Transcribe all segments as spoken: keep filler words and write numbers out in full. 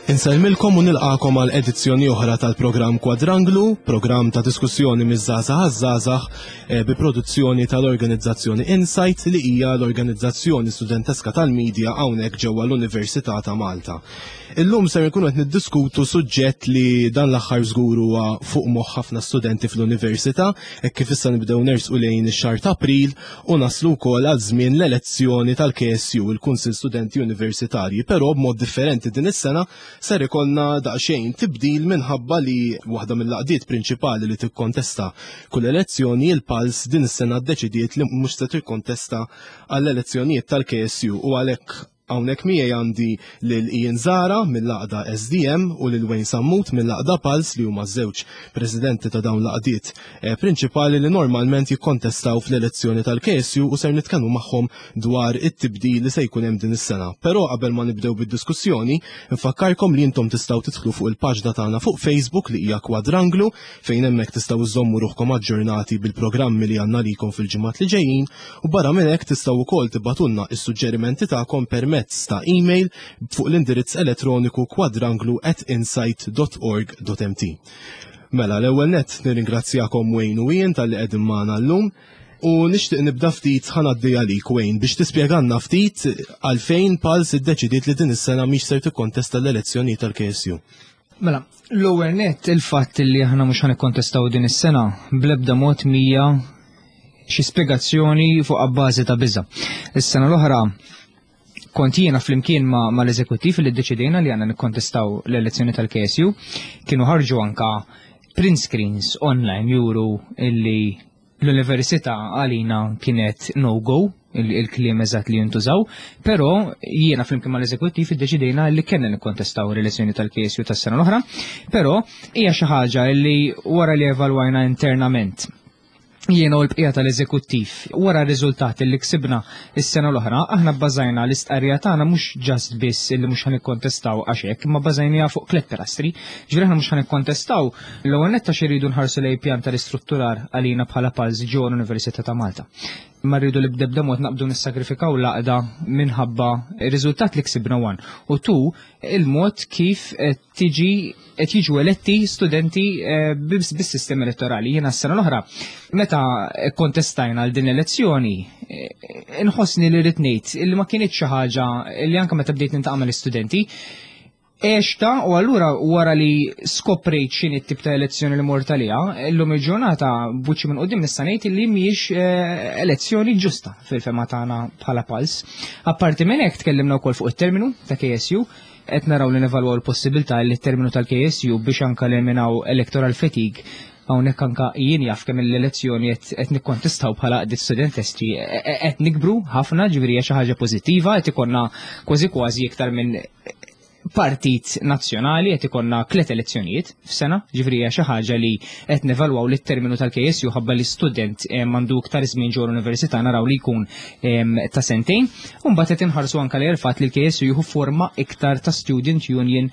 Insellmilkom u nilqakom għal edizzjoni oħra tal-programm Kwadranglu, programm ta' diskussjoni miż-żgħażagħ għaż-żgħażagħ eh, bi produzzjoni tal-organizzazzjoni Insight, li hija l-organizzazzjoni studenteska tal-medja hawnhekk ġewwa l-Università ta' Malta. Illum ser nkunu qed niddiskutu suġġett li dan l-aħħar żgur huwa fuq moħħ ħafna studenti fl-università, hekk kif issa nibdew nersqu lejn ix-xahar ta' April u naslu wkoll għal żmien l-elezzjoni tal-K S U, il-Kunsill Studenti Universitarji, però b'mod differenti din is-sena ser ikollna daqsxejn tibdil minħabba li waħda mill-għaqdiet prinċipali li tikkontesta kull elezzjoni, il-Pulse, din is-sena ddeċidiet li mhux se tikkontesta għall-elezzjonijiet tal-K S U. U għalhekk hawnhekk miegħi għandi lil Ian Zara mill-għaqda S D M u lil Wayne Sammut mill-għaqda Pulse, li huma żewġ presidenti ta' dawn l-għaqdiet eh, prinċipali li normalment jikkontestaw fl-elezzjoni tal-K S U, u ser nitkellmu magħhom dwar it-tibdil li se jkun hemm din is-sena. Però qabel ma nibdew bid-diskussjoni, nfakkarkom li intom tistgħu tidħlu fuq il-paġna tagħna fuq Facebook, li hija Kwadranglu, fejn hemmhekk tistgħu żżommu ruħkom aġġornati bil-programmi li għandna likom fil-ġimgħat li ġejjin, u barra minn hekk tistgħu wkoll tibagħtulna is-suġġerimenti tagħkom permezz ta' email fuq l-indirizz elettroniku kwadranglu at insight dot org dot M T. Mela, l-ewwel net nirringrazzjakom, Wayne u Ian, talli qegħdin magħna llum. U nixtieq nibda ftit, ħa ngħaddi għalik, Wayne, biex tispjegalna ftit għalfejn Pulse iddeċidiet li din is-sena mhix ser tikkontesta l-elezzjoni tal-K S U. Mela, l-ewwel net, il-fatt li aħna mhux ħa nikkontestaw din is-sena bl-ebda mod mhija xi spjegazzjoni fuq abbażi ta' biża. Is-sena l-oħra kont jiena flimkien ma, ma l-eżekuttiv li ddeċidejna li għandna nikkontestaw l-elezzjoni tal-K S U. Kienu ħarġu anka print screens online juru illi l-università għalina kienet no-go, il-kliem eżatt li jintużaw, però jiena flimkien mal-eżekuttiv iddeċidejna li kellna nikkontestaw l-elezzjoni tal-K S U tas-sena l-oħra, però hija xi ħaġa li wara li evalwajna internament jiena u l-bqija tal-eżekuttiv, wara r-riżultati li ksibna is-sena l-oħra, aħna bbażajna l-istqarrija tagħna mhux just biss illi mhux ħa nikkontestaw għax hekk, imma bbażajniha fuq tliet pilastri. Ġifieri aħna mhux ħa nikkontestaw l-ewwel nett għax irridu nħarsu lejn pjan tal-istrutturar għalina bħala Pulse ġo l-Università ta' Malta. Ma rridu li b'ebda mod naqbdu nissagrifikaw l-għaqda minħabba ir-riżultat li ksibna, one. U two, il-mod kif qed tiġi qed jiġu eletti studenti eh, bis-sistema elettorali. Jiena s-sena l-oħra, meta kontestajna għal din l-elezzjoni, eh, inħossni li rrid ngħid illi ma kienx xi ħaġa li anke meta bdejt niltaqa' mal-istudenti, Eċta, u allura wara li skoprejt x'inhi t-tip ta' elezzjoni li mort għaliha, illum il-ġurnata b'wiċċi minn quddiem nista' ngħid li mhijiex eh, elezzjoni ġusta fil-fehma tagħna bħala Pulse. Apparti minn hekk, tkellimna wkoll fuq it-terminu ta' K S U, qed naraw li nevalwaw l-possibilità li t-terminu tal-K S U biex anka eliminaw electoral fatigue. Hawnhekk anka jien jaf kemm l-elezzjoni qed nikkontestaw bħala għaqdiet studentesti qed nikbru ħafna, ġifieri hija xi ħaġa pożittiva, qed ikollna kważi kważi iktar minn partit nazzjonali, qed ikollna tliet elezzjonijiet f'sena, ġifieri hija xi ħaġa li qed nevalwaw li t-terminu tal-K S U, ħabba li student eh, m'għandu iktar żmien ġo l-università, naraw li jkun ta' sentejn, u mbagħad qed inħarsu anke li l-fatt li l-K S U jieħu forma iktar ta' student union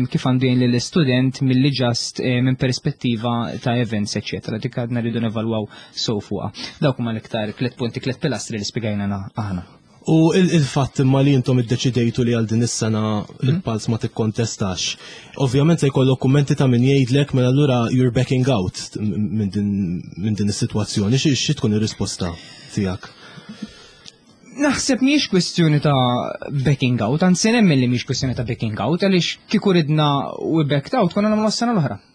kif għandu jgħin lill-student milli just minn perspettiva ta' events, eċċetera. Dik għadna rridu nevalwaw so fuqha. Dawk huma l-iktar tliet punti, tliet pilastri li spjegajna aħna. U il-fatt imma li intom iddeċidejtu li għal din is-sena mhm. il-Pulse ma tikkontestax. Ovvjament se jkollok kummenti ta' min jgħidlek, mela allura you're backing out minn din is-sitwazzjoni. Xi tkun ir-risposta tiegħek? Naħseb mhijiex kwestjoni ta' backing out, anzi nemmen li mhijiex kwestjoni ta' backing out, għaliex kieku ridna we backed out konna nagħmlu s-sena l-oħra.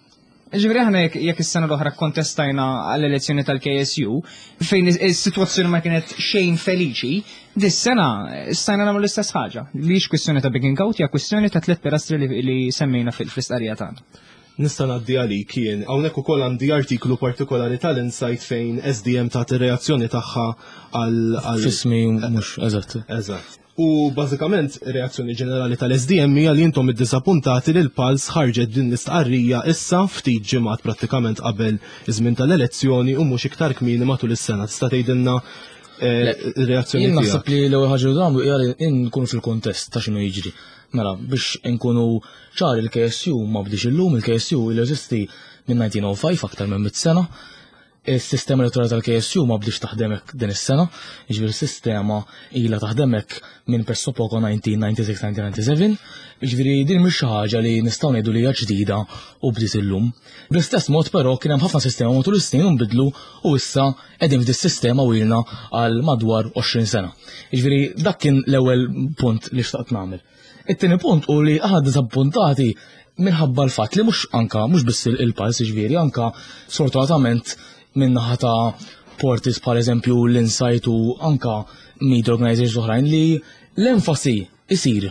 Ġifieri aħna jekk is-sena l-oħra kontestajna għall-elezzjoni tal-K S U, fejn is-sitwazzjoni ma kienet xejn feliċi, dis-sena stajna nagħmlu l-istess ħaġa. Mhijiex kwestjoni ta' backing out, hija kwestjoni ta' tliet pilastri li semmejna fil-istqarrija tagħna. Nista' ngħaddi għalik jien. Hawnhekk ukoll għandi artiklu partikolari tal-Insight fejn S D M tagħti reazzjoni tagħha għal Fismi mhux eżatt. Eżatt. U bażikament reazzjoni ġenerali tal-S D M hija li intom iddiżappuntati li l-Pulse ħarġet din l-istqarrija issa, ftit ġimgħat prattikament qabel iż-żmien tal-elezzjoni, u mhux iktar kmieni matul is-sena. Tista' tgħidilna eh, reazzjoni Jien naħseb li l-ewwel ħaġa li nagħmlu hija li nkunu fil-kontest ta' x'inhu jiġri. Mela, biex nkunu ċari, il-K S U ma bdiex illum, il-K S U il jeżisti minn elf disa' mija u ħamsa, aktar minn mit sena. Is-sistema elettorali tal-K S U ma bdiex taħdem hekk din is-sena, jiġifieri s-sistema ilha taħdem hekk minn pressappoco elf disa' mija disgħa u disgħin-elf disa' mija disgħa u sebgħin, jiġifieri din mhix xi ħaġa li nistgħu ngħidu li hija ġdida u bdiet illum. Bl-istess mod però kien hemm ħafna sistema matul is-snin u nbidlu u issa qegħdin f'dis sistema u ilna għal madwar għoxrin sena. Jiġifieri dak kien l-ewwel punt li xtaqt nagħmel. It-tieni punt u li aħna disappuntati minħabba l-fatt li mhux anka mhux biss il-Pulse, jiġifieri anka sfortunatament min-naħa ta' portals bħal eżempju l-Insight u anka media organizations oħrajn li l-enfasi isir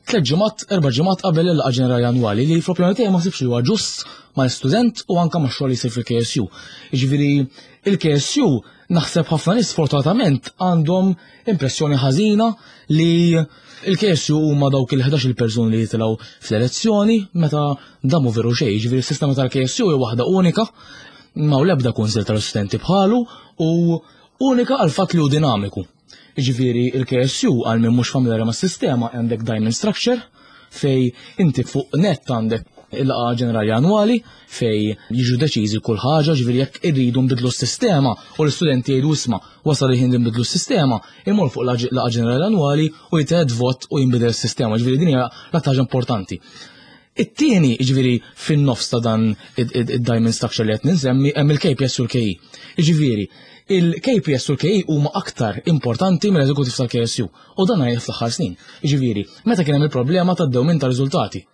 tliet ġimgħat, erba' ġimgħat qabel il-laqgħa ġenerali annwali, li fl-opinjoni tiegħi ma nsibx li huwa ġust mal-student u anka max-xogħol li jsir fil-K S U. Jiġifieri il-K S U naħseb ħafna nies sfortunatament għandhom impressjoni ħażina li il-K S U huma dawk il-ħdax-il persuni li jitilgħu fl-elezzjoni, meta dan mhu veru xejn. Jiġifieri s-sistema tal-K S U hija waħda unika, ma l-ebda kunsil tal-studenti bħalu u unika għal fatt li hu dinamiku. Jiġifieri il-K S U, għal min mhux familjari mas-sistema, għandek diamond structure fej inti fuq nett għandek il-laqgħa ġenerali annwali fej jiġu deċiżi kull ħaġa, ġifieri jekk irridu nbidlu s-sistema u l-istudenti jgħidu, "Isma', wasal il-ħin li nbidlu s-sistema", imur fuq laqgħa ġenerali annwali u jitgħed vot u jinbidel s-sistema, ġifieri din hija l-aktar ħaġa importanti. It-tieni, ġifieri fin-nofs ta' dan id-diamond structure li qed ninsemmi, hemm il-K P S u l-K E. Ġifieri, il-K P S u l-K E huma aktar importanti mill-eżekutiv tal-K S U u dan għajn fl-aħħar snin. Ġifieri, meta kien hemm il-problema tad-dewmin ta' riżultati,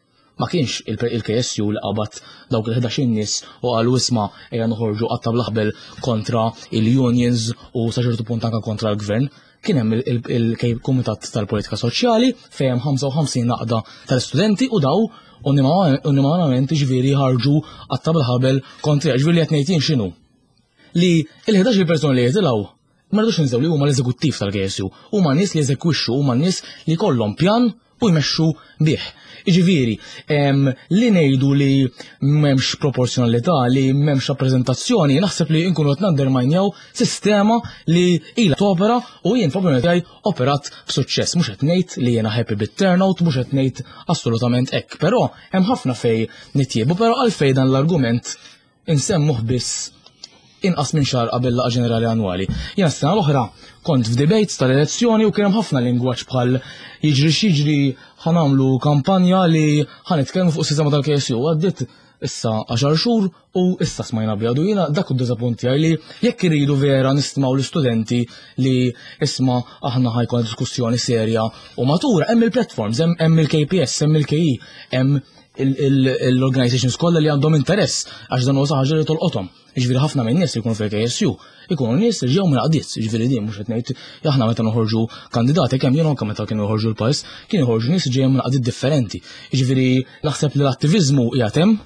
ma kienx il-K S U li qabad dawk il-ħdax nies u qalu, "Isma', ejja noħorġu qatta bl-aħbel kontra il-unions u sa ċertu punt anka kontra l-gvern". Kien hemm il-Kumitat tal-Politika Soċjali fejn hemm ħamsa u ħamsin għaqda tal-istudenti u daw unanimament ġifieri ħarġu qatta bil-ħabel kontra. Ġifieri li qed ngħid x'inhu? Li il-ħdax persuna li jitilgħu, ma rridux ninsew li huma l-eżekuttiv tal-K S U, huma nies li jeżekwixxu, huma nies li kollhom pjan u jmexxu bih. Iġifieri, li ngħidu li m'hemmx proporzjonalità, li m'hemmx rappreżentazzjoni, naħseb li nkunu qed nandermajnjaw sistema li ilha topera u jien f'opinjoni tiegħi operat b'suċċess. Mhux qed ngħid li jiena happy bit-turnout, mhux qed ngħid assolutament hekk, però hemm ħafna fej nitjiebu, però għalfejn dan l-argument insemmuh biss inqas minn xahar qabel laqgħa ġenerali annwali? Jiena s-sena l-oħra kont f'debates tal-elezzjoni u kien hemm ħafna lingwaġġ bħal jiġri x'jiġri ħa nagħmlu kampanja li ħa nitkellmu fuq sistema tal-K S U. Għaddit issa għaxar xhur u issa smajna biha. Jiena dak id-diżappunt tiegħi, li jekk iridu vera nistmaw l-istudenti li, isma', aħna ħa jkun diskussjoni serja u matura, hemm il-platforms, hemm il-K P S, hemm il-K E, hemm l-organizations kollha li għandhom interess, għax dan huwa ħaġa li tolqothom. Jiġifieri ħafna minn nies li jkunu fil-K S U ikunu nies li ġew minn għaqdiet, jiġifieri din mhux qed ngħid aħna meta noħorġu kandidati, kemm jien anke meta kienu joħorġu l-Pulse, kienu joħorġu nies ġejjin minn għaqdiet differenti. Jiġifieri naħseb li l-attiviżmu qiegħed hemm,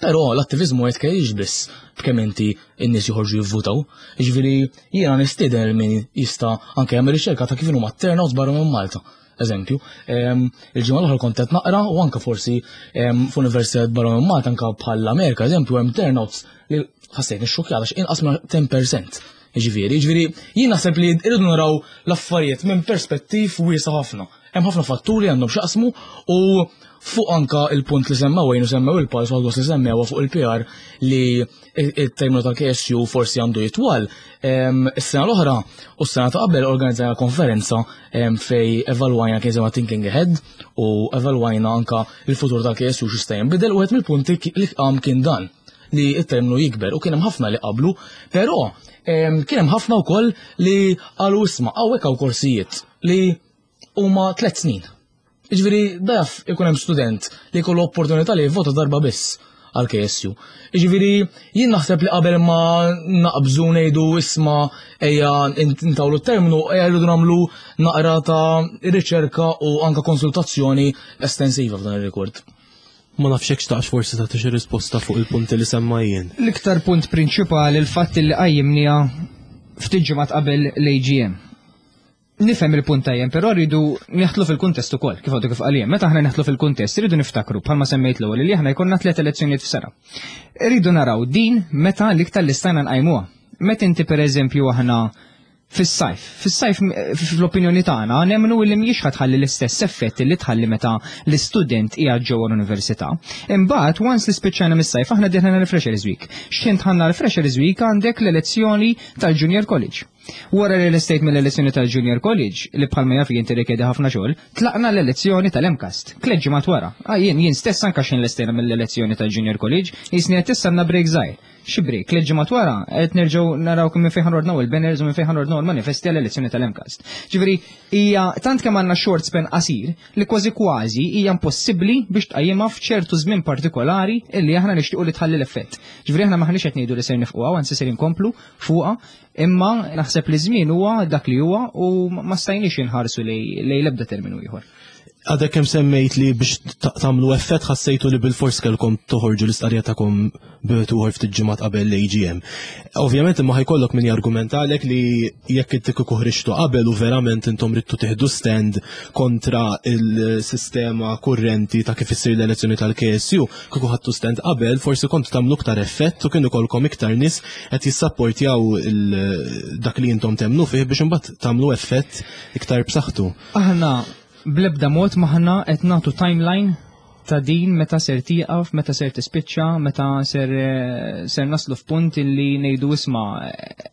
però l-attiviżmu qed kienx biss b'kemm inti n-nies joħorġu jivvutaw. Jiġifieri jiena nistieden min jista' anke jagħmel riċerka ta' kif huma turnouts barra minn Malta. Eżempju, il-ġimgħa l-oħra kont qed naqra u anke forsi f'università barra minn Malta, anke bħall-Amerika, eżempju, hemm turnouts li ħassejt nixxukjat għax inqas minn għaxra fil-mija. Jiġifieri, jiġifieri jien naħseb li rridu naraw l-affarijiet minn perspettiv wiesa' ħafna. Hemm ħafna fatturi għandhom x'jaqsmu u fuq anka il-punt li semmew għajnu semmew il-Pulse u li semmew fuq il-P R li il-terminu tal-K S U forsi għandu jitwal. Is-sena l-oħra u s-sena ta' qabel organizzajna konferenza fej evalwajna kien sema Thinking Ahead u evalwajna anka il-futur tal-K S U x'jista' jinbidel, u wieħed mill-punti li qam kien dan li il-terminu jikber u kien hemm ħafna li qablu, però kien hemm ħafna wkoll li qalu, "Isma', hawnhekk hawn korsijiet li huma tliet snin." Jiġifieri daf ikun hemm student li jkollu opportunità li jivvota darba biss għal K S U. Jiġifieri jien naħseb li qabel ma naqbżu ngħidu, "Isma', ejja ntawlu terminu", ejja rridu nagħmlu naqra ta' riċerka u anka konsultazzjoni estensiva f'dan ir-rekord. Ma nafx hekk xtaqx forsi tagħti xi risposta fuq il-punti li semma jien. L-iktar punt prinċipali il-fatt li qajjimniha ftit ġimgħat qabel l-A G M. Nifhem il-punt tajjem, però rridu neħtlu fil-kuntest ukoll, kif għadu kif qaliem. Meta aħna neħtlu fil-kuntest, rridu niftakru bħalma semmejt l-ewwel li aħna jkollna tliet elezzjonijiet f'sena. Rridu naraw din meta l-iktar li stajna nqajmuha. Meta inti, pereżempju, aħna Fis-sajf. Fis-sajf, fl-opinjoni tagħna, nemmnu li mhijiex ħa tħalli l-istess effett li tħalli meta l-istudent qiegħed ġewwa l-università. Imbagħad, once li spiċċajna mis-sajf, aħna dieħlna l-Freshers Week. X'ħin dħalna l-Freshers Week, għandek l-elezzjoni tal-Junior College. Wara li lestejt mill-elezzjoni tal-Junior College, li bħalma jaf jinti rikjedi ħafna xogħol, tlaqna l-elezzjoni tal-M CAST. Tliet ġimgħat wara. Ah, jien jien stess anka x'ħin lestejna mill-elezzjoni tal-Junior College, jisni qed issa break żgħir. Xi break, tliet ġimgħat wara qed nerġgħu naraw kemm minn fejn ħanordnaw il-banners u minn fejn ħanordnaw il-manifesti għall-elezzjoni tal-M CAST. Ġifieri hija tant kemm għandna short span qasir li kważi kważi hija impossibbli biex tqajjimha f'ċertu żmien partikolari illi aħna nixtiequ li tħalli l-effett. Ġifieri aħna maħniex qed ngħidu li ser nifquha, anzi ser inkomplu fuqha, imma naħseb li żmien huwa dak li huwa u ma stajniex inħarsu lejn l-ebda terminu ieħor. Għadek kemm semmejt li biex tagħmlu effett ħassejtu li bil-fors kellkom toħorġu l-istqarrija tagħkom b'tuħor ftit ġimgħat qabel l-A G M. Ovvjament, imma ħa jkollok min jargumentalek li jekk inti kieku ħriġtu qabel u verament intom ridtu tieħdu stand kontra il-sistema kurrenti ta' kif issir l-elezzjoni tal-K S U, kieku ħadtu stand qabel, forsi kontu tagħmlu iktar effett u kienu jkollkom iktar nies qed jissapportjaw dak li intom temnu fih biex imbagħad tagħmlu effett iktar b'saħħtu. Aħna blebda mod maħna qed nagħtu timeline ta' din meta ser tieqaf, meta ser tispiċċa, meta ser, eh, ser naslu f'punt illi ngħidu, "Isma', eh,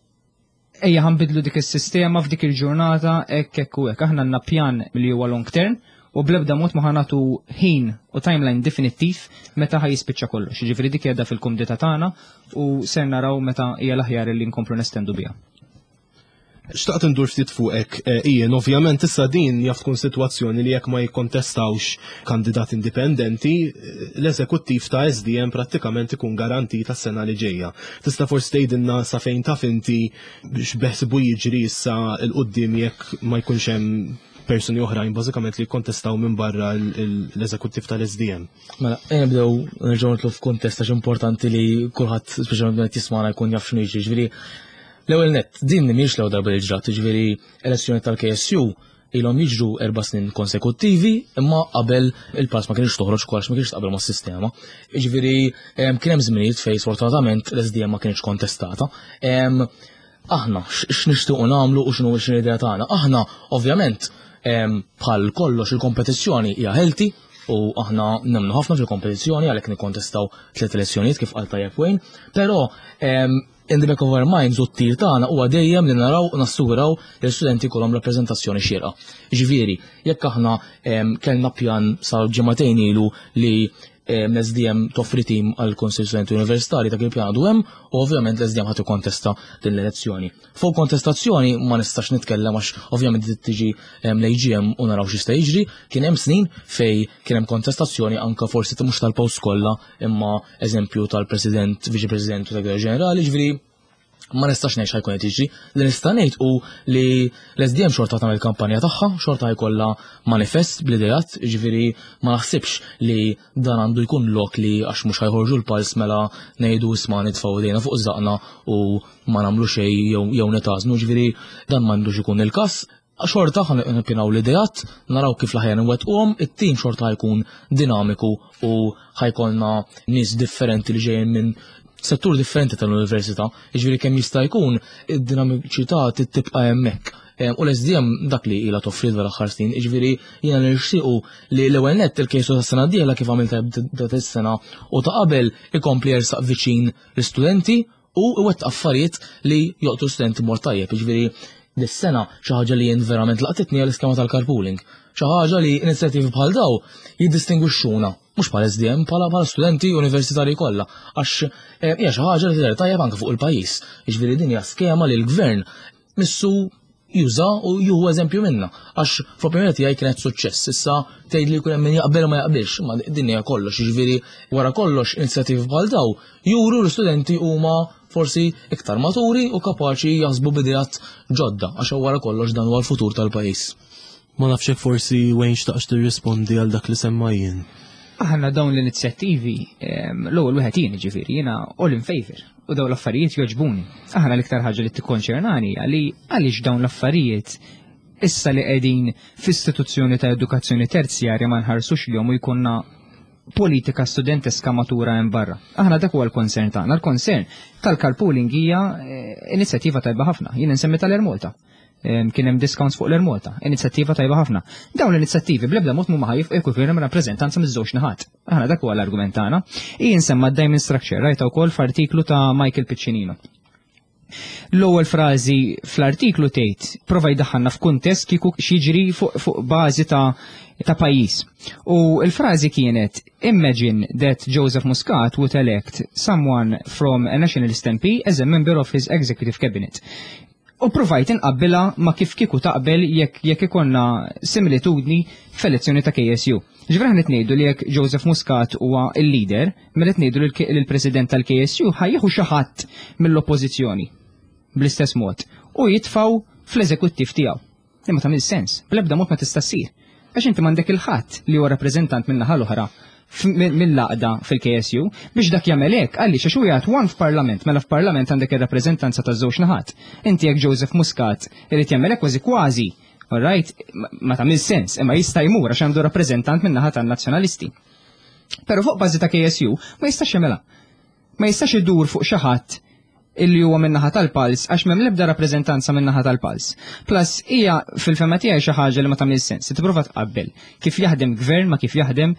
ejja ħa nbiddlu dik is-sistema f'dik il-ġurnata hekk hekk u hekk." Aħna għandna pjan li huwa long term u blebda mod ma ħa nagħtu ħin u timeline definittiv meta ħa jispiċċa kollox. Ġifieri dik qiegħda fil-kumdità tagħna u ser naraw meta hija l-aħjar li nkomplu nestendu biha. Xtaqt ndur ftit fuqek, eh, Ian, ovvjament issa din jaf tkun sitwazzjoni li jekk ma jikkontestawx kandidat indipendenti, eh, l-eżekuttiv ta' S D M prattikament ikun garantita s-sena li ġejja. Tista' forsi tgħidilna sa fejn taf inti x'beħsibu jiġri issa 'l quddiem jekk ma jkunx hemm persuni oħrajn bażikament li jikkontestaw minn barra l-eżekuttiv tal-S D M? Mela, nibdew nerġgħu nidħlu f'kuntest għax importanti li kulħadd, speċjalment qed jismana, jkun jaf x'inhu jiġri. Ġifieri l-ewwel net, din mhijiex l-ewwel darba li ġrat, ġifieri elezzjoni tal-K S U ilhom jiġru erba' snin konsekuttivi, imma qabel il-Pulse ma kienx toħroġ kollox, ma kienx taqbel mas-sistema. Ġifieri kien hemm żminijiet fejn sfortunatament l-S D M ma kienx kontestata. Aħna x'nixtiequ nagħmlu u x'inhu x'inhu l-idea tagħna? Aħna ovvjament, bħal kollox, il-kompetizzjoni hija healthy u aħna nemmnu ħafna fil-kompetizzjoni, għalhekk nikkontestaw tliet elezzjonijiet kif qal tajjeb Wayne, però in the back of our minds u t-tir tagħna huwa dejjem li naraw u nassuraw li l-studenti kollhom rappreżentazzjoni xierqa. Ġifieri, jekk aħna kellna pjan sa ġimagħtejn ilu li l-S D M toffri tim għal Konsil Studenti Universitari, dak il-pjan għadu hemm u ovvjament l-S D M ħa tikkontesta din l-elezzjoni. Fuq kontestazzjoni ma nistax nitkellem għax ovvjament tiġi l-A G M u naraw x'jista' jiġri. Kien hemm snin fej kien hemm kontestazzjoni anka forsi mhux tal-post kollha, imma eżempju tal-President, Viċi President u Segretarju Ġenerali, ġifieri ma nistax ngħid x'ħa jkun qed jiġri. Li nista' ngħid u li l-S D M xorta tagħmel kampanja tagħha, xorta jkollha manifest bl-idejat, ġifieri ma naħsibx li dan għandu jkun lok li għax mhux ħa jħorġu l-Pulse mela ngħidu, "Isma', nitfgħu idejna fuq żaqna u ma nagħmlu xejn jew nitażnu", ġifieri dan m'għandux ikun il-każ. Xorta ħa nippjanaw l-idejat, naraw kif l-aħjar nwettquhom, it-tim xorta jkun dinamiku u ħa jkollna nies differenti li ġejjin minn settur differenti tal-università, jiġifieri kemm jista' jkun id-dinamiċità tibqa' hemmhekk. U l-S D M dak li ilha toffri l-aħħar snin, jiġifieri jiena nixtiequ li l-ewwel nett il-K S U tas-sena d-dieħla, kif għamilta dat is-sena u ta' qabel, ikompli jersaq viċin l-istudenti u iwettaq affarijiet li jolqtu studenti mod tajjeb, jiġifieri dis-sena xi ħaġa li jien verament laqtitni għall-iskema tal-carpooling. Xi ħaġa li inizjattivi bħal daw jiddistingwixxuna mhux bħal S D M, bħala bħala studenti universitarji kollha, għax eh, hija xi ħaġa li tidher tajjeb anke fuq il-pajjiż. Jiġifieri din hija skema li l-gvern missu juża u jieħu eżempju minna. Għax fl-opinjoni tiegħi kienet suċċess. Issa tgħid li jkun hemm min jaqbel u ma jaqbilx, ma din hija kollox, jiġifieri wara kollox inizjattivi bħal daw juru l-istudenti huma forsi iktar maturi u kapaċi jaħsbu b'ideat ġodda, għax wara kollox dan huwa l-futur tal-pajjiż. Ma nafx hekk forsi Wayne xtaqx tirrispondi għal dak li semma jien. Aħna dawn l-inizjattivi, l-ewwel wieħed jien, ġifieri jiena all in favor u dawn l-affarijiet jogħġbuni. Aħna l-iktar ħaġa li tikkonċernani għali għaliex dawn l-affarijiet issa li qegħdin f'istituzzjoni ta' edukazzjoni terzjarja ma nħarsux li u jkollna Politika studenteska matura hemm barra. Aħna dak huwa l-concern tagħna. L-concern tal-carpooling hija eh, inizjattiva tajba ħafna. Jien insemmi tal-Air Malta. Em, Kien hemm discounts fuq l-Air Malta, inizjattiva tajba ħafna. Dawn l-inizjattivi bl-ebda mod mhuma ħajf jkun hemm rappreżentanza miż-żewġ naħat. Aħna dak huwa l-argument tagħna. Jien semma d-Diamond Structure rajta wkoll f'artiklu ta' Michael Piccinino. L-ewwel frażi fl-artiklu tgħid prova jdaħħalna f'kuntest kieku x'jiġri fuq fuq bażi ta' ta' pajjiż. U l-frażi kienet: "Imagine that Joseph Muscat would elect someone from a nationalist M P as a member of his executive cabinet." U provajt inqabbilha ma kif kieku taqbel jekk jekk ikonna similitudni f'elezzjoni ta' K S U. Ġifieri aħna qed ngħidu li jekk Joseph Muscat huwa il-leader, mela qed ngħidu li l-president tal-K S U ħa jieħu xi ħadd mill-oppożizzjoni bl-istess mod u jitfaw fl-eżekuttiv tiegħu. Imma tagħmel sens, bl-ebda mod ma tista' ssir. Għax inti m'għandek il-ħadd li huwa rappreżentant min-naħa l-oħra f- mill-għaqda fil-K S U biex dak jagħmel hekk, għaliex għax hu jgħid one f'parlament, mela f'parlament għandek ir-rappreżentanza taż-żewġ naħat. Inti jekk Joseph Muscat irid jagħmel hekk, kważi kważi, alright, ma ma tagħmel sens, imma jista' jmur għax għandu rappreżentant min-naħa tan-nazzjonalisti. Però fuq bażi ta' K S U ma jistax jagħmilha. Ma jistax idur fuq xi ħadd illi huwa min-naħa tal-Pulse għax m'hemm l-ebda rappreżentanza min-naħa tal-Pulse. Plus hija fil-fehma tiegħi xi ħaġa li ma tagħmel sens. Tipprova tqabbel kif jaħdem gvern ma kif jaħdem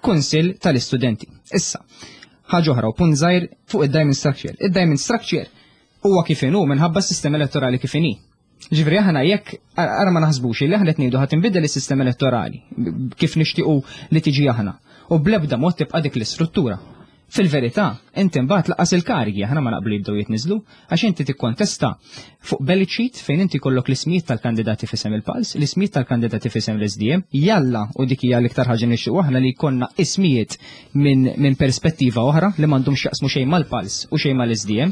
kunsill tal-istudenti. Issa, ħaġa oħra u punt żgħir fuq id-diamond structure. Id-diamond structure huwa kif inhu minħabba s-sistema elettorali kif inhi. Ġifieri aħna jekk ara ma naħsbux li aħna qed ngħidu ħa tinbidel is-sistema elettorali kif nixtiequ li tiġi aħna u bl-ebda mod tibqa' dik l-istruttura. Fil-verità, inti mbagħad lanqas il-karigi aħna ma naqblu jibdew jitniżlu, għax inti tikkontesta fuq ballot sheet fejn inti kollok l-ismijiet tal-kandidati f'isem il-Pulse, l-ismijiet tal-kandidati f'isem l-S D M, jalla u dik hija l-iktar ħaġa nixtiequ aħna li jkollna ismijiet minn min perspettiva oħra li m'għandhom x'jaqsmu xejn mal-Pulse u xejn mal-S D M,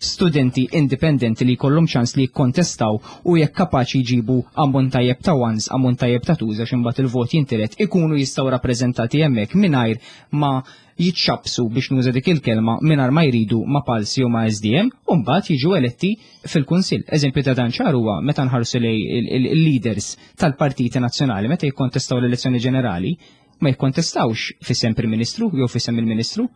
studenti indipendenti li jkollhom ċans li jikkontestaw u jekk kapaċi jġibu ammont tajjeb ta' ones, ammont tajjeb ta' twos, għax imbagħad il-vot jintiret, ikunu jistgħu rappreżentati hemmhekk mingħajr ma jitxabsu, biex nuża dik il-kelma, mingħajr ma jridu ma' Pulse jew ma' S D M u mbagħad jiġu eletti fil-Kunsill. Eżempju ta' dan ċar huwa meta nħarsu lej il-leaders tal-partiti nazzjonali meta jikkontestaw l-elezzjoni ġenerali, ma jikkontestawx f'isem Prim Ministru jew f'isem il-Ministru.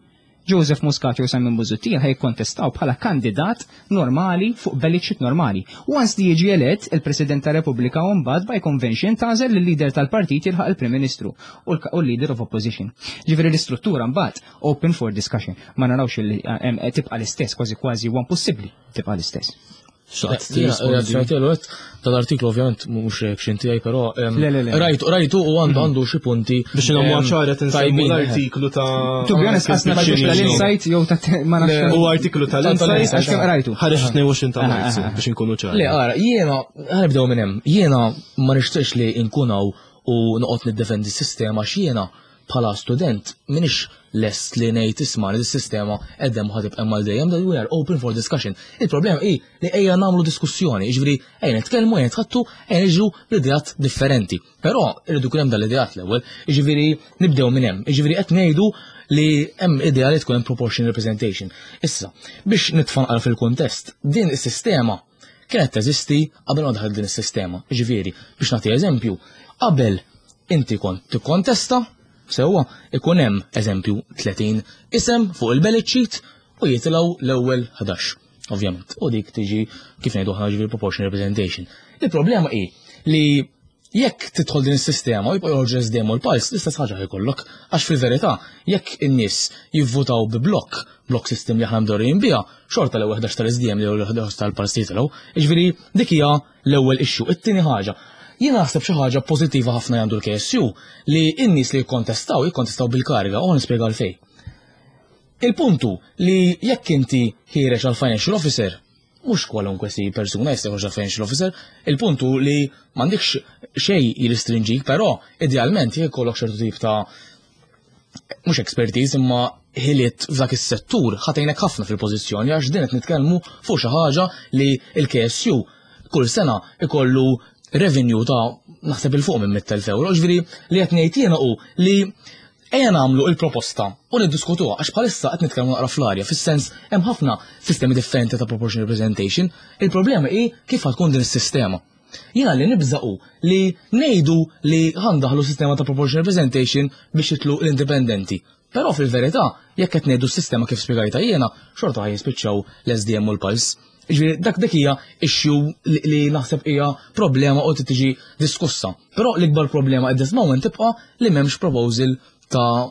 Joseph Muscat jew Simon Busuttil ħaj jikkontestaw bħala kandidat normali fuq ballot sheet normali. Once li jiġi elett, il-President ta' Repubblika u mbagħad by convention tagħżel il-leader tal-partit jilħaq il-Prim Ministru u l-leader of opposition. Ġifieri l-istruttura mbagħad open for discussion. Ma narawx li eh, tibqa' l-istess, kważi kważi huwa impossibbli tibqa' l-istess. Tal-artiklu ovvjament mhux reaction tiegħi, però rajtu rajtu u għandu għandu xi punti. Biex nagħmlu ċara tinsemmu l-artiklu ta' To be honest, qasna tal-Insight jew ta' ma nafx. U artiklu tal-Insight. Għax kemm rajtu. Ħareġ tnejn u għoxrin ta' Marzu biex inkunu ċari. Le, ara, jiena ħa nibdew minn hemm. Jiena ma nixtieqx li nkun hawn u noqgħod niddefendi s-sistema x'jiena bħala student minix lest li ngħid, isma', li s-sistema edem ħa tibqa' mal dejjem, that we are open for discussion. Il-problema hi li ejja nagħmlu diskussjoni, jiġifieri ejja nitkellmu, ejja nitħattu, ejja niġu b'ideat differenti. Però irridu jkun hemm dal-ideat l-ewwel, jiġifieri nibdew minn hemm, jiġifieri qed ngħidu li hemm idea li tkun hemm proportional representation. Issa, biex nitfanqal fil-kuntest, din is-sistema kienet teżisti qabel ma daħal din is-sistema. Jiġifieri, biex nagħti eżempju, qabel inti kont tikkontesta, sewwa, ikun hemm eżempju tletin isem fuq il-ballot sheet u jitilgħu l-ewwel ħdax. Ovvjament, u dik tiġi kif ngħidu aħna, ġifieri proportional representation. Il-problema hi li jekk tidħol din is-sistema u jibqa' joħorġu S D M u l-Pulse, l-istess ħaġa jkollok, għax fil-verità jekk in-nies jivvutaw bi blok, block system li aħna mdorrijin biha, xorta l-ewwel ħdax tal-S D M li l-ewwel ħdax tal-Pulse jitilgħu, jiġifieri dik hija l-ewwel issue. It-tieni ħaġa, jiena naħseb xi ħaġa pożittiva ħafna għandu l-K S U li n-nies li jikkontestaw, jikkontestaw bil-kariga, u nispjega għalfejn. Il-puntu li jekk inti ħiereġ għal financial officer, mhux kwalunkwe si persuna jista' joħroġ għal financial officer, il-puntu li m'għandekx xejn jirrestrinġik, però idealment jekk ikollok ċertu tip ta' mhux expertise imma ħiliet f'dak is-settur, ħa tgħinek ħafna fil-pożizzjoni, għax din qed nitkellmu fuq xi ħaġa li l-K S U kull sena ikollu revenue ta' naħseb 'il fuq minn mitt elf euro. Ġifieri li qed ngħid jiena hu li ejja nagħmlu il-proposta u niddiskutuha, għax bħalissa qed nitkellmu naqra fl-arja, fis-sens hemm ħafna sistemi differenti ta' proportional representation. Il-problema hi kif tkun din is-sistema. Jiena li nibża' hu li ngħidu li ħa ndaħħlu sistema ta' proportional representation biex jitilgħu l-indipendenti. Però fil-verità, jekk qed ngħidu s-sistema kif spjegajta jiena, xorta ħa jispiċċaw l-S D M u l-Pulse. Ġifieri, dak dik hija issue li, li naħseb hija problema u tiġi diskussa. Però l-ikbar problema at this moment tibqa' li m'hemmx proposal ta'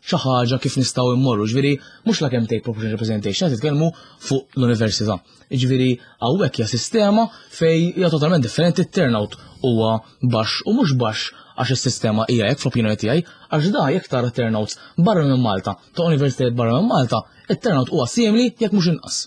xi ħaġa kif nistgħu immorru. Ġifieri, mhux la kemm take proportional representation, qed titkellmu fuq l-università. Ġifieri, hawnhekk hija sistema fej hija totalment differenti, turnout huwa baxx u mhux baxx għax is-sistema hija hekk fl-opinjoni tiegħi, għax da jekk tara turnouts barra minn Malta, ta' universitajiet barra minn Malta, it-turnout huwa simili jekk mhux inqas.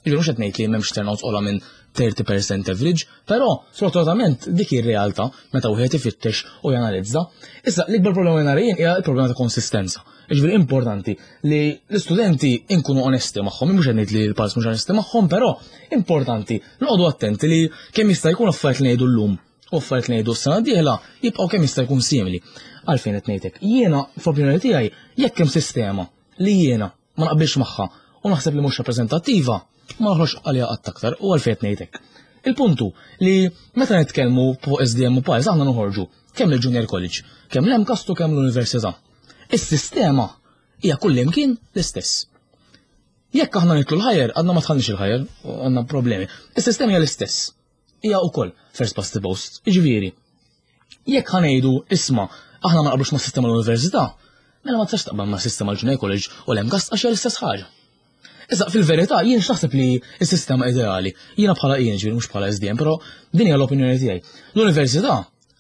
Ġifieri, mhux qed ngħid li m'hemmx turnouts ogħla minn thirty percent average, però sfortunatament dik ir-realtà meta wieħed ifittex u janalizza. Issa l-ikbar problema nara jien hija l-problema ta' konsistenza. Ġifieri, importanti li l-istudenti inkunu onesti magħhom, mhux qed ngħid li l-Pulse mhux onesti magħhom, però importanti noqogħdu attenti li kemm jista' jkun affarijiet li ngħidu llum u affarijiet li ngħidu s-sena d-dieħla jibqgħu kemm jista' jkun simili. Għalfejn qed ngħidlek? Jiena fl-opinjoni tiegħi, jekk hemm sistema li jiena ma naqbilx magħha u naħseb li mhux rappreżentattiva, ma noħroġ għalija qatt aktar. U għalfejn qed ngħidlek? Il-puntu li meta nitkellmu fuq S D M u Pulse, aħna noħorġu kemm il-Junior College, kemm l-MCAST u kemm l-Università. Is-sistema hija kullimkien l-istess. Jekk aħna nidħlu l-higher, għadna ma dħalniex il-higher, għandna problemi. Is-sistema hija l-istess. Hija wkoll first past the post. Jiġifieri, jekk ħa ngħidu, isma', aħna ma naqblux ma' sistema l-università, mela ma tistax taqbel ma' sistema l-Junior College u l-MCAST għax hija l-istess ħaġa. Issa fil-verità jien x'naħseb li s-sistema ideali, jiena bħala jien, ġifieri mhux bħala S D M, però din hija l-opinjoni tiegħi. L-università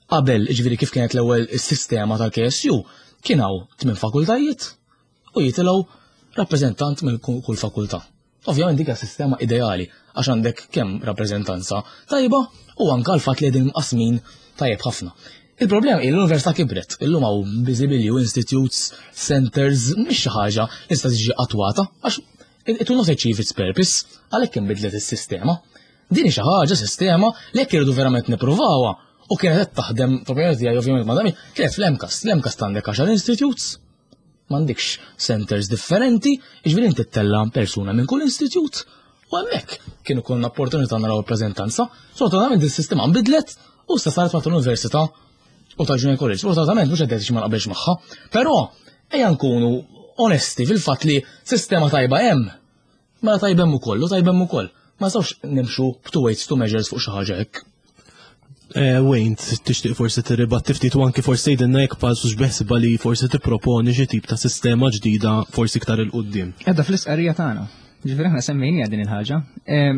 qabel, ġifieri kif kienet l-ewwel is-sistema tal-K S U, kien hawn tmien fakultajiet u jitilgħu rappreżentant minn kull fakultà. Ovvjament dik hija sistema ideali għax għandek kemm rappreżentanza tajba u anke l-fatt li qegħdin mqasmin tajjeb ħafna. Il-problema hi l-università kibret, illum hawn biżibilju institutes, centers, mhix xi ħaġa li tista' tiġi attwata għax it will not achieve its purpose, għalhekk inbidlet is-sistema. Din hi xi ħaġa sistema li jekk irridu verament nippruvawha u kienet qed taħdem f'opinjoni tiegħi, ovvjament ma dami, kienet fl-MCAST. L-MCAST għandek għaxar institutes, m'għandekx centers differenti, jiġifieri inti ttella' persuna minn kull institute. U hemmhekk kienu konna opportunità naraw rappreżentanza. Sfortunatament is-sistema nbidlet u issa saret ma' l-università u ta' Junior College. Sfortunatament mhux qed ma naqbilx magħha, però ejja nkunu onesti fil-fatt li sistema tajba hemm. Mela tajba hemm ukoll u tajba hemm ukoll. Ma nistgħux nimxu two weights, two measures fuq xi ħaġa hekk. Eh, Wayne, tixtieq forsi tirribatti ftit u anki forsi tgħidilna jekk Pulse beħsiebha li forsi tipproponi xi tip ta' sistema ġdida forsi iktar 'il quddiem? Edha fl-istqarrija tagħna. Ġifieri aħna semmejnija din il-ħaġa.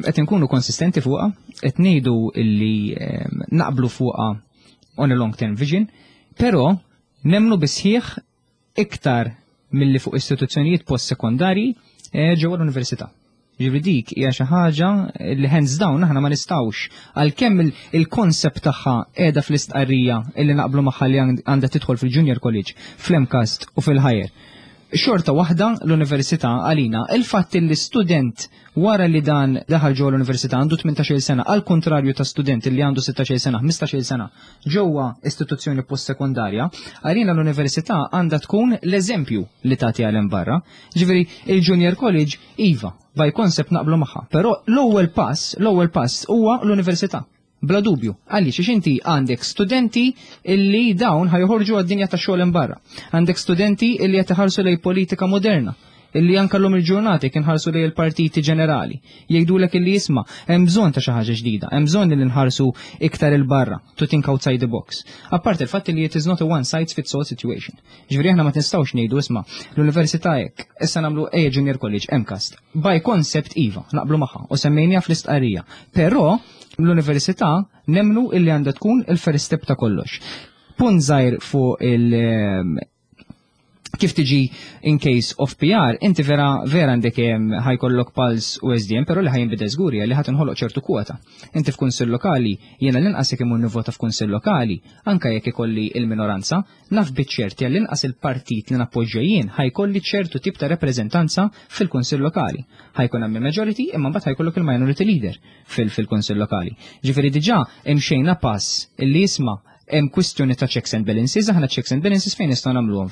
Qed inkunu konsistenti fuqha, qed ngħidu illi naqblu fuqha on a long term vision, però nemmnu bis-sħiħ iktar milli fuq istituzzjonijiet post-sekondarji eh, ġewwa l-università. Ġifieri dik hija xi ħaġa li hands down aħna ma nistgħux, għalkemm il-konsept tagħha qiegħda fl-istqarrija illi naqblu magħha li għandha tidħol fil-Junior College, fl-MCAST u fil-Higher. Xorta waħda l-università għalina, il-fatt li student wara li dan daħal ġewwa l-università għandu tmintax-il sena, għal kontrarju ta' student li għandu sittax-il sena, ħmistax-il sena ġewwa istituzzjoni post-sekondarja, għalina l-università għandha tkun l-eżempju li tagħti għal barra. Ġifieri il-Junior College iva, by concept naqblu magħha, però l-ewwel pass, l-ewwel pass huwa l-università. Bla dubju, għaliex għax inti għandek studenti illi dawn ħa joħorġu għad-dinja ta' xogħol barra. Għandek studenti illi qed iħarsu lej politika moderna, illi anka l-lum il-ġurnati kien ħarsu lej il-partiti ġenerali. Jgħidulek illi jisma', hemm bżonn ta' xi ħaġa ġdida, hemm bżonn li nħarsu iktar 'il barra, to think outside the box. Apart il-fatt li it is not a one size fits all situation. Ġifieri aħna ma nistgħux ngħidu, isma', l-università hekk, issa nagħmlu ejja Junior College, MCAST. By concept iva, naqblu magħha u semmejnija fl-istqarrija. Però l-università nemmnu illi għandha tkun il-first step ta' kollox. Punt żgħir fuq il- kif tiġi in case of P R, inti vera vera għandek ħa jkollok Pulse u S D M, però li ħa jinbidel żgur li ħa tinħoloq ċertu kwota. Inti f'kunsill lokali, jiena l-inqas jekk imur nivvota f'kunsill lokali, anka jekk ikolli il-minoranza, naf biċ-ċerti għall-inqas il-partit li nappoġġja jien ħa jkolli ċertu tip ta' rappreżentanza fil-kunsill lokali. Ħa jkun hemm majority imma mbagħad ħa jkollok il-minority leader fil-kunsill lokali. Ġifieri diġà imxejna pass illi jisma' Hemm kwistjoni ta' checks and balances, aħna checks and balances fejn nistgħu nagħmluhom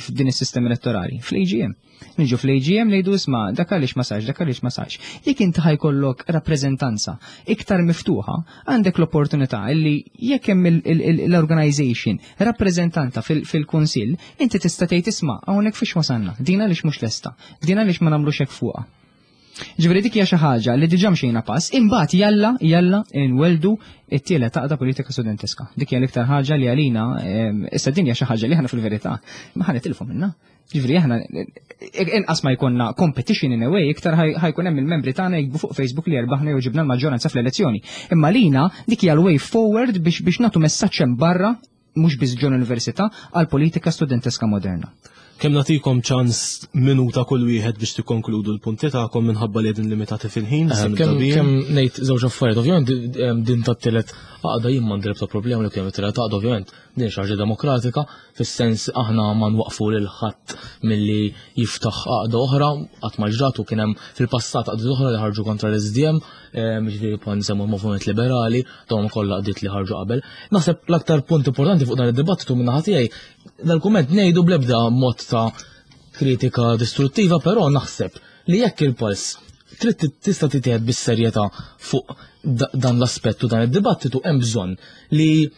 f'din is-sistema elettorali? Fl-A G M. Niġu fl-A G M, ngħidu: "Isma', dak għaliex ma sarx, dak għaliex ma sarx?" Jekk inti ħa jkollok rappreżentanza iktar miftuħa, għandek l-opportunità illi jekk hemm l-organization rappreżentanta fil-kunsill, inti tista' tgħid: "Isma', hawnhekk fiex wasalna, din għaliex mhux lesta, din għaliex ma nagħmlux hekk fuqha?" Ġifieri dik hija xi ħaġa li diġà mxejna pass, imbagħad jalla jalla nweldu it-tielet għaqda politika studenteska. Dik hija l-iktar ħaġa li għalina issa din hija xi ħaġa li aħna fil-verità ma ħa nitilfu minnha. Ġifieri aħna inqas ma jkollna competition in a way, iktar ħa jkun hemm il-membri tagħna jiktbu fuq Facebook li rbaħna jew ġibna l-maġġoranza fl-elezzjoni. Imma lina dik hija l-way forward biex biex nagħtu messaġġ hemm barra, mhux biss ġol università, għal politika studenteska moderna. Kemm nagħtikom ċans, minuta kull wieħed biex tikkonkludu l-punti tagħkom minħabba li qegħdin limitati fil-ħin. Eh, kemm kemm ngħid żewġ affarijiet, ovvjament din tat-tielet għaqda jien m'għandi l problema li kemm it-tielet għaqda. Ovvjament din xi ħaġa demokratika, fis-sens aħna ma nwaqfu lil ħadd milli jiftaħ għaqda oħra, qatt ma ġratu. Kien hemm fil-passat għaqda oħra li ħarġu kontra l-S D M, ġifieri bħal nsemmu l-Moviment Liberali, dawn kollha għaqdiet li ħarġu qabel. Naħseb l-aktar punt importanti fuq dan id-dibattitu minn naħa tiegħi, dal-kumment ngħidu bl-ebda mod ta' kritika distruttiva, però naħseb li jekk il-Pulse trid tista' titieħed bis-serjetà fuq dan l-aspett u dan id-dibattitu, hemm bżonn li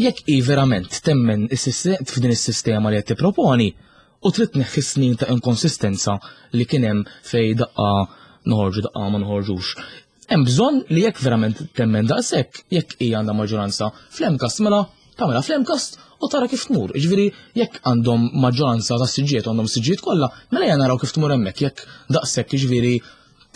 jekk i verament temmen f'din is-sistema li qed tipproponi u trid tneħħi snin ta' inkonsistenza li kien hemm fej daqqa noħorġu, daqqa ma noħorġux. Hemm bżonn li jekk verament temmen daqshekk, jekk hija għandha maġġoranza fl-MCAST, mela tagħmilha fl-MCAST u tara kif tmur. Ġifieri jekk għandhom maġġoranza ta' siġġiet, għandhom siġġiet kollha, mela ejja naraw kif tmur hemmhekk jekk daqshekk ġifieri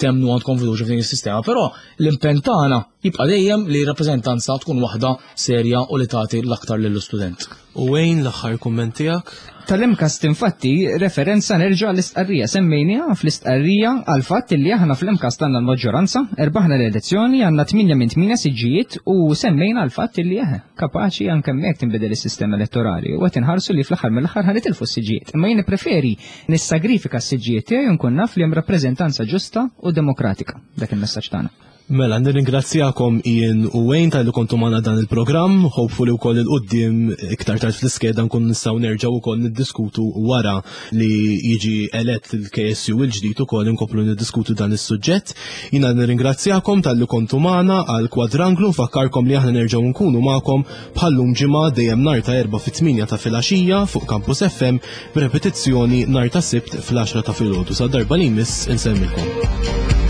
temmnu, għandkom fiduċja f'din is-sistema, però l-impenn tagħna jibqa' dejjem li rappreżentanza tkun waħda serja u li tagħti l-aktar lill-istudent. U Wayne, l-aħħar kumment tiegħek? Tal-MCAST infatti referenza nerġa' l-istqarrija, semmejniha fl-istqarrija għal fatt li aħna fl-MCAST għandna l-maġġoranza, erbaħna l-elezzjoni, għandna tmienja minn tmienja siġġijiet u semmejna għal fatt li eħe, kapaċi anke hemmhekk tinbidel is-sistema elettorali u qed inħarsu li fl-aħħar mill-aħħar ħa nitilfu s-siġġijiet. Imma jien preferi nissagrifika s-siġġijiet tiegħi u nkun naf li hemm rappreżentanza ġusta u demokratika. Dak il-messaġġ tagħna. Mela, nirringrazzjakom Ian u Wayne talli kontu magħna dan il-programm, hopefully wkoll 'il quddiem iktar tard fl-iskeda nkun nistgħu nerġgħu wkoll niddiskutu wara li jiġi elett il-K S U il-ġdid, ukoll inkomplu niddiskutu dan is-suġġett. Jiena nirringrazzjakom talli kontu magħna għal Kwadranglu, nfakkarkom li aħna nerġgħu nkunu magħkom bħallum ġimgħa, dejjem nhar ta' Erbgħa fit-tmienja ta' filgħaxija fuq Campus F M, b'repetizzjoni nhar ta' Sibt fl-għaxra ta' filgħodu. Sa darba li jmiss, insellmilkom.